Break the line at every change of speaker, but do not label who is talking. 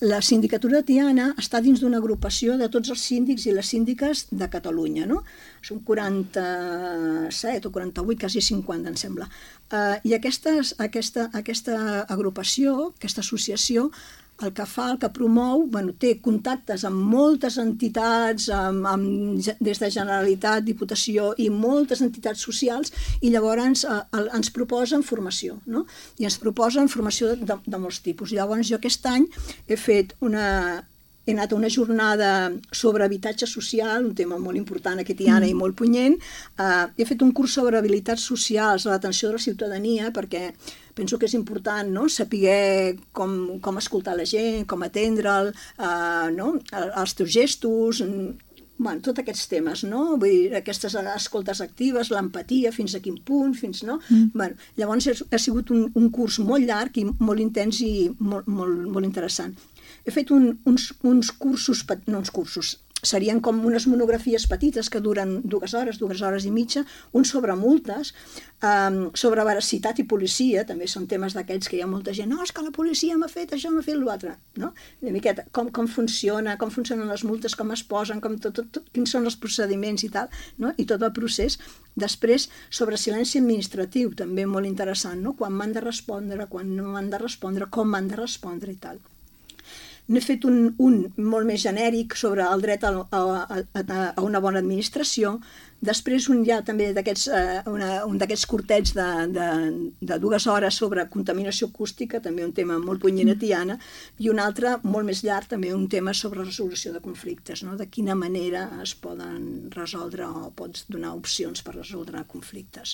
La sindicatura de Tiana està dins d'una agrupació de tots els síndics i les síndiques de Catalunya, no? Són 47 o 48, quasi 50, em sembla. I aquesta agrupació, aquesta associació, el que fa, el que promou, té contactes amb moltes entitats, des de Generalitat, Diputació i moltes entitats socials, i llavors ens proposen formació, no? I ens proposen formació de molts tipus. Llavors jo aquest any he anat a una jornada sobre habitatge social, un tema molt important a Tiana i molt punyent. He fet un curs sobre habilitats socials a l'atenció de la ciutadania, perquè penso que és important, no?, saber com escoltar la gent, com atendre'l, els teus gestos, tots aquests temes, no? Vull dir, aquestes escoltes actives, l'empatia, fins a quin punt, no? Llavors ha sigut un curs molt llarg i molt intens i molt interessant. He fet uns cursos, no uns cursos, serien com unes monografies petites que duren 2 hores i mitja, un sobre multes, sobre veracitat i policia, també són temes d'aquests que hi ha molta gent, no, és que la policia m'ha fet això, m'ha fet l'altre, no? Una miqueta, com funcionen les multes, com es posen, quins són els procediments i tal, no? I tot el procés. Després, sobre silenci administratiu, també molt interessant, no? Quan m'han de respondre, quan no m'han de respondre, com m'han de respondre i tal. N'he fet un molt més genèric sobre el dret a una bona administració. Després un ja també un d'aquests curtets de 2 hores sobre contaminació acústica, també un tema molt punyent a Tiana, i un altre molt més llarg, també un tema sobre resolució de conflictes, no? De quina manera es poden resoldre o pots donar opcions per resoldre conflictes.